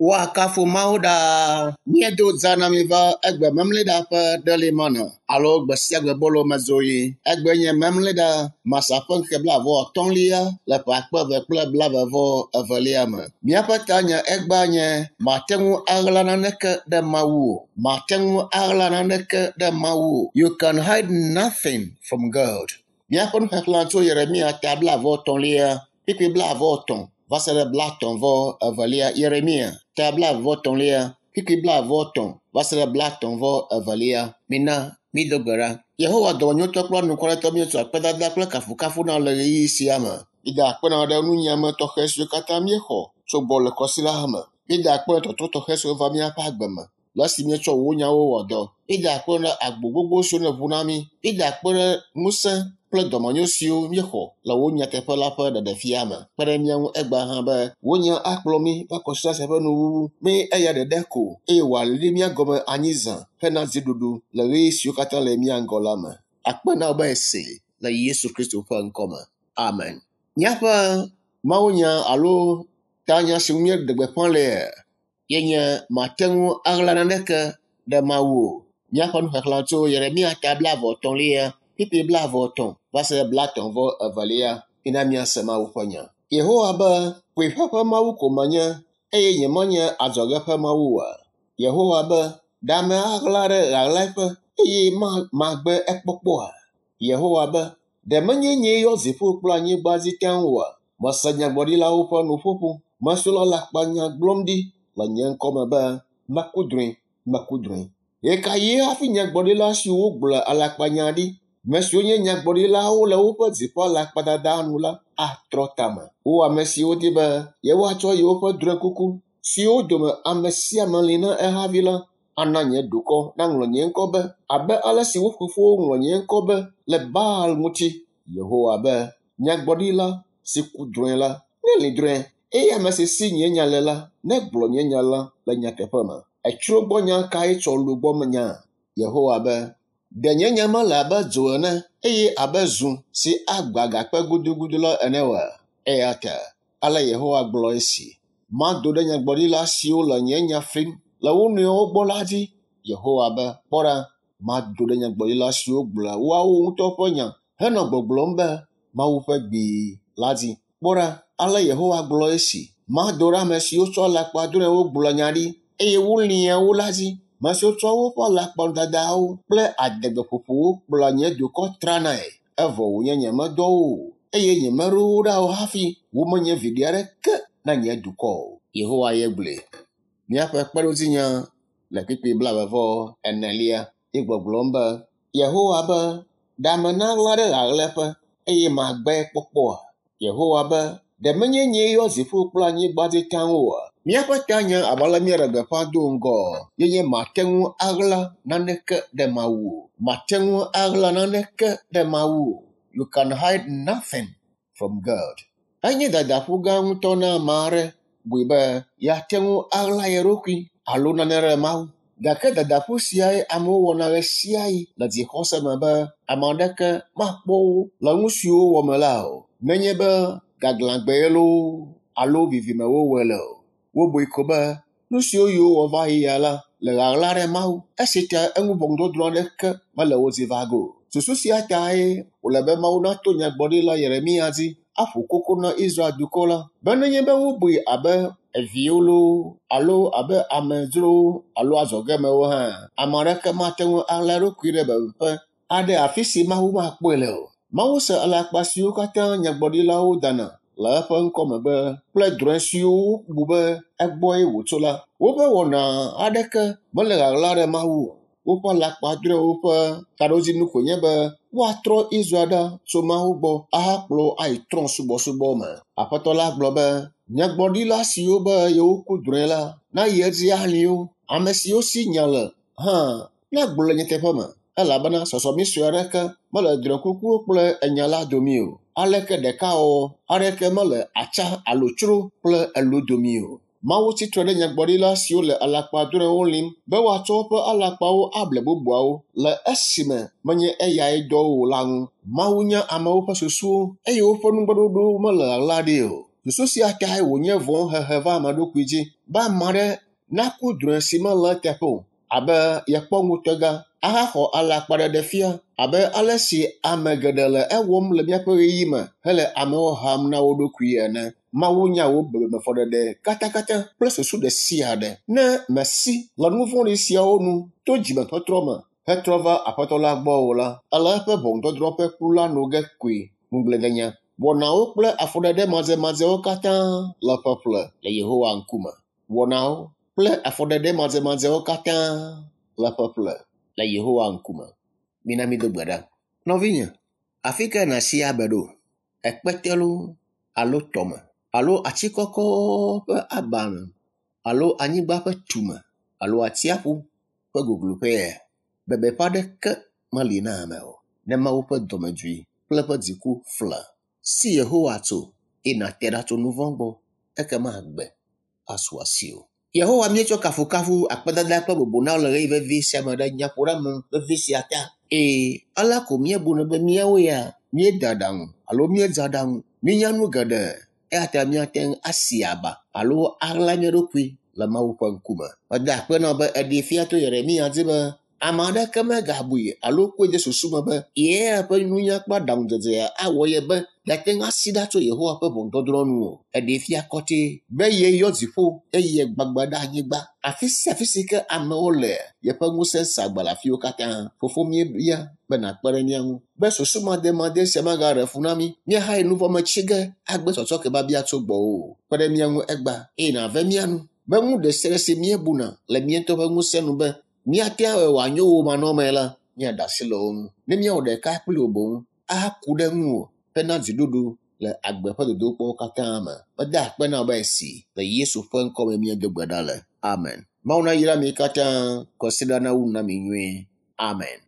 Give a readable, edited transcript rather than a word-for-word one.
Woakafu Mawu ɖaa. Míedo zã na mi va egbe memleɖa ƒe ɖelimana alo gbe sia gbe bolo mezoɣi. Egbe nye memleɖa masa ƒe ŋkeke blaeve-vɔ-atɔ̃lia le ƒe akpe eve kple blaeve-vɔ-evelia me. Míaƒe tanya egbea nye màte ŋu aɣla naneke ɖe Mawu o. Màte ŋu aɣla naneke ɖe Mawu o. You can hide nothing from God. Míaƒe nuxexlẽ tso Yeremia ta blaeve-vɔ-etɔ̃lia kpukpui blaeve-vɔ-etɔ̃ va se ɖe blaetɔ̃-vɔ-evelia. Yeremia ta blaeve-vɔ-etɔ̃lia kpukpui blaeve-vɔ-etɔ̃ va se ɖe blaetɔ̃-vɔ-evelia. Mina mído gbe ɖa. Yehowa dɔmenyotɔ kple anukwaretɔ míetsɔ akpedada kple kafukafu na le ɣeyiɣi sia me. Mída akpe na wò ɖe nunyiame tɔxɛ siwo katã míexɔ tso gbɔwò le kɔsiɖa me. Mída akpe ɖe tɔtrɔ tɔxɛ siwo va míaƒe agbe me le esi míetsɔ wò nyawo wɔ dɔ. Mída akpe ɖe agbo gbogbo siwo nèʋu na mí. Mída akpe ɖe ŋusẽ kple dɔmenyo siwo míexɔ le wò nyateƒe la ƒe ɖeɖefia me. Kpe ɖe mía ŋu egbea hã be wò nya akplɔ mí va kɔsiɖa sia ƒe nuwuwu. Mí eya ɖeɖe ko eye wòali mía gɔme anyi zã hena dziɖuɖu le ɣeyiɣi siwo katã le mía ŋgɔ la me. Akpe na wò be èsee le Yesu Kristo ƒe ŋkɔ me. Amen. Míaƒe mawunya alo tanya si ŋu míeɖe gbeƒã lea ye nye màte ŋu aɣla naneke ɖe Mawu o. Míaƒe nuxexlẽ tso Yeremia ta blaeve-etɔ̃lia kpukpui blaeve-etɔ̃ va se ɖe blaetɔ̃-vɔ-evelia. Mina míase Mawu ƒe nya. Yehowa be, Kpuiƒe ƒe Mawu ko menye eye nyemenye adzɔge ƒe Mawu oa? Yehowa be, Ɖe ame aɣla ɖe ɣaɣlaƒe eye magbe ekpɔkpɔa? Yehowa be, Ɖe menye nyee yɔ dziƒo kple anyigba dzi taŋ oa? Mese nyagblɔɖilawo ƒe nuƒoƒo. Ame siwo le alakpanya gblɔm ɖi le nye ŋkɔ me be, Meku drɔ̃e, meku drɔ̃e. Ɣekaɣie hafi nyagblɔɖila siwo gblɔa alakpanya ɖi, ame siwo nye nyagblɔɖilawo le woƒe dzi ƒe alakpadada nu la atrɔ tame? Wo ame siwo di be yewoatsɔ yewoƒe drɔ̃ekuku siwo dome ame sia ame li na ehavi la ana nye dukɔ naŋlɔ nye ŋkɔ be abe ale si wo fofowo ŋlɔ nye ŋkɔ be le Baal ŋuti. Yehowa be, Nyagblɔɖila si ku drɔ̃e la, nelĩ drɔ̃e eye ame si si nye nya le la, negblɔ nye nya la le nyateƒe me. Etsro gbɔ nya kae tsɔ lu gbɔ nya? Yehowa be, Ɖe nye nya mele abe dzo ene eye abe zu si agbã agakpe gudugudu la ene oa? Eya ta ale Yehowa gblɔ esi, Mado ɖe nyagblɔɖila siwo le nye nya flim le wo nɔewo gbɔ la dzi. Yehowa be, Kpɔ ɖa, mado ɖe nyagblɔɖila siwo gblɔa woawo ŋutɔ ƒe nya henɔ gbɔgblɔm be Mawu ƒe gbee la dzi. Kpɔ ɖa, ale Yehowa gblɔ esi, Mado ɖe ame siwo tsɔ alakpadrɔ̃ewo gblɔa nya ɖi eye wolĩa wo la dzi. Ame siwo tsɔ woƒe alakpadadawo kple adegbeƒoƒowo kplɔa nye dukɔ tranae, evɔ wònye nyemedɔ wo o, eye nyemeɖo wo ɖa o hafi womenye viɖe aɖeke na nye dukɔ o. Yehowa ye gblɔe. Míaƒe kpeɖodzinya le kpukpui blaeve-vɔ-enelia ye gbɔgblɔm be, Yehowa be, Ɖe ame naɣla ɖe ɣaɣlɛƒe eye magbe kpɔkpɔa? Yehowa be, Ɖe menye nyee yɔ dziƒo kple anyigba dzi taŋ oa? Míaƒe tanya abe ale míeɖe gbeƒã do ŋgɔ ye nye màte ŋu aɣla naneke ɖe Mawu o. Màte ŋu aɣla naneke ɖe Mawu o. You can hide nothing from God. Enye dadaƒu gã ŋutɔ na ame aɖe bui be yeate ŋu aɣla ye ɖokui alo nane ɖe Mawu. Gake dadaƒu siae amewo wɔna ɣesiaɣi le dzixɔse me be ame aɖeke makpɔ wo le nu siwo wowɔ me la o, nenye be gaglãgbee loo alo vivime wowɔe le o. Wobui ko be nu siwo yewowɔ va yi ya la le ɣaɣla ɖe Mawu, esi ta eŋu ʋɔnudɔdrɔ̃ aɖeke mele wo dzi va ge o. Susu sia tae wòle be Mawu nato nyagblɔɖila Yeremia dzi aƒo koko na Israel dukɔ la be nenye be wobui abe eviwo loo alo abe amedzrowo alo adzɔgemewo hã, ame aɖeke mate ŋu aɣla eɖokui ɖe bebeƒe aɖe afi si Mawu makpɔe le o. Mawu se alakpa siwo katã nyagblɔɖilawo dana le eƒe ŋkɔ megbe kple drɔ̃e siwo wobu be egbɔe wòtso la. Woƒe wɔna aɖeke mele ɣaɣla ɖe Mawu o. Woƒe alakpadrɔ̃ewo ƒe taɖodzinu koe nye be woatrɔ Israel ɖa tso Mawu gbɔ ahakplɔ wo ayi trɔ̃subɔsubɔ me. Aƒetɔ la gblɔ be, Nyagblɔɖila siwo be yewoku drɔ̃e la nayi edzi alĩ wo. Ame siwo si nya le hã nagblɔ le nyateƒe me elabena sɔsɔmi sue aɖeke mele drɔ̃ekukuwo kple enya la dome o. Aleke ɖekawɔwɔ aɖeke mele atsa alo tsro kple elo dome o. Mawu tsi tre ɖe nyagblɔɖila siwo le alakpadrɔ̃ewo lim be woatsɔ woƒe alakpawo able bubuawo le esime menye eyae dɔ wo o la ŋu. Mawu nya amewo ƒe susuwo eye woƒe nugbeɖoɖowo mele ɣaɣla ɖi o. Susu sia tae wònye vɔ̃ hehe va ame ɖokui dzi be ame aɖe naku drɔ̃e si mele eteƒe o abe yekpɔ ŋutega ahaxɔ alakpaɖeɖe fia abe ale si ame geɖe le ewɔm le míaƒe ɣeyiɣi me hele amewo ham na wo ɖokui ene. Mawu nya wò bebemefɔɖeɖe katakata kple susu ɖe sia ɖe. Ne mèsi le nu vɔ̃ɖi siawo nu to dzimetɔtrɔ me hetrɔ va Aƒetɔ la gbɔ o la, ele eƒe ʋɔnudɔdrɔ̃ ƒe kplu la no ge koe. Ŋugbledenya, wɔnawo kple afɔɖeɖe madzemadzewo katã le ƒeƒle le Yehowa ŋkume. Wɔnawo kple afɔɖeɖe madzemadzewo katã le ƒeƒle le Yehowa ŋkume. Mina mído gbe ɖa. Nɔvinye, afi kae nàsi abe ɖo? Ekpete loo alo tɔme alo ati kɔkɔ ƒe aba me alo anyigba ƒe tume alo atsiaƒu ƒe gogloƒea? Bebeƒe aɖeke meli na ame o. Ne Mawu ƒe dɔmedzoe kple eƒe dziku fla si Yehowa tso eye nàte ɖa tso nu vɔ̃ gbɔ, ekema agbe asu asiwò. Yehowa míetsɔ kafukafu, akpedada kple bubu na wò le ɣeyiɣi vevi sia me ɖe nyaƒoɖeame vevi sia ta. Eye alea ko míebunɛ be míawo ya míede aɖaŋu alo míedze aɖaŋu, míenya nu geɖe eya ta míate ŋu asi aba alo aɣla mía ɖokui le Mawu ƒe ŋkume. Meda akpe na wò be èɖee fia to Yeremiya dzi be ame aɖeke megabui alo kɔe de susu me be ye ƒe nunya kple aɖaŋudzedzea awɔ ye be yeate ŋu asi ɖa tso Yehowa ƒe ʋɔnudɔdrɔ̃ nu o. Eɖee fia kɔtɛ be yeyɔ dziƒo eye yegbagba ɖe anyigba. Afi sia afi si ke amewo le, yeƒe ŋusẽ sa agba le afiwo katã. Fofo míebia be nàkpe ɖe mía ŋu be susumademade sia magaɖe fu na mí míahayi nu vɔ̃ me tsi ge agbe tsɔtsɔke biabia tso gbɔwò o. Kpe ɖe mía ŋu egbea eye nàve mía nu be nu ɖe sia ɖe si míebuna le mía ŋutɔ ƒe ŋusẽ nu be míate ŋu awɔe wòanyo wò manɔmee la, míaɖe asi le wo ŋu. Ne míawɔ ɖeka kpli wò boŋ ahaku ɖe ŋuwò hena dziɖuɖu le agbe ƒe dodokpɔwo katã me. Meda akpe na wò be esi le Yesu ƒe ŋkɔ me míedo gbe ɖa le. Amen. Mawu nayra mi katã. Kɔsiɖa nawu nu na mi nyuie. Amen.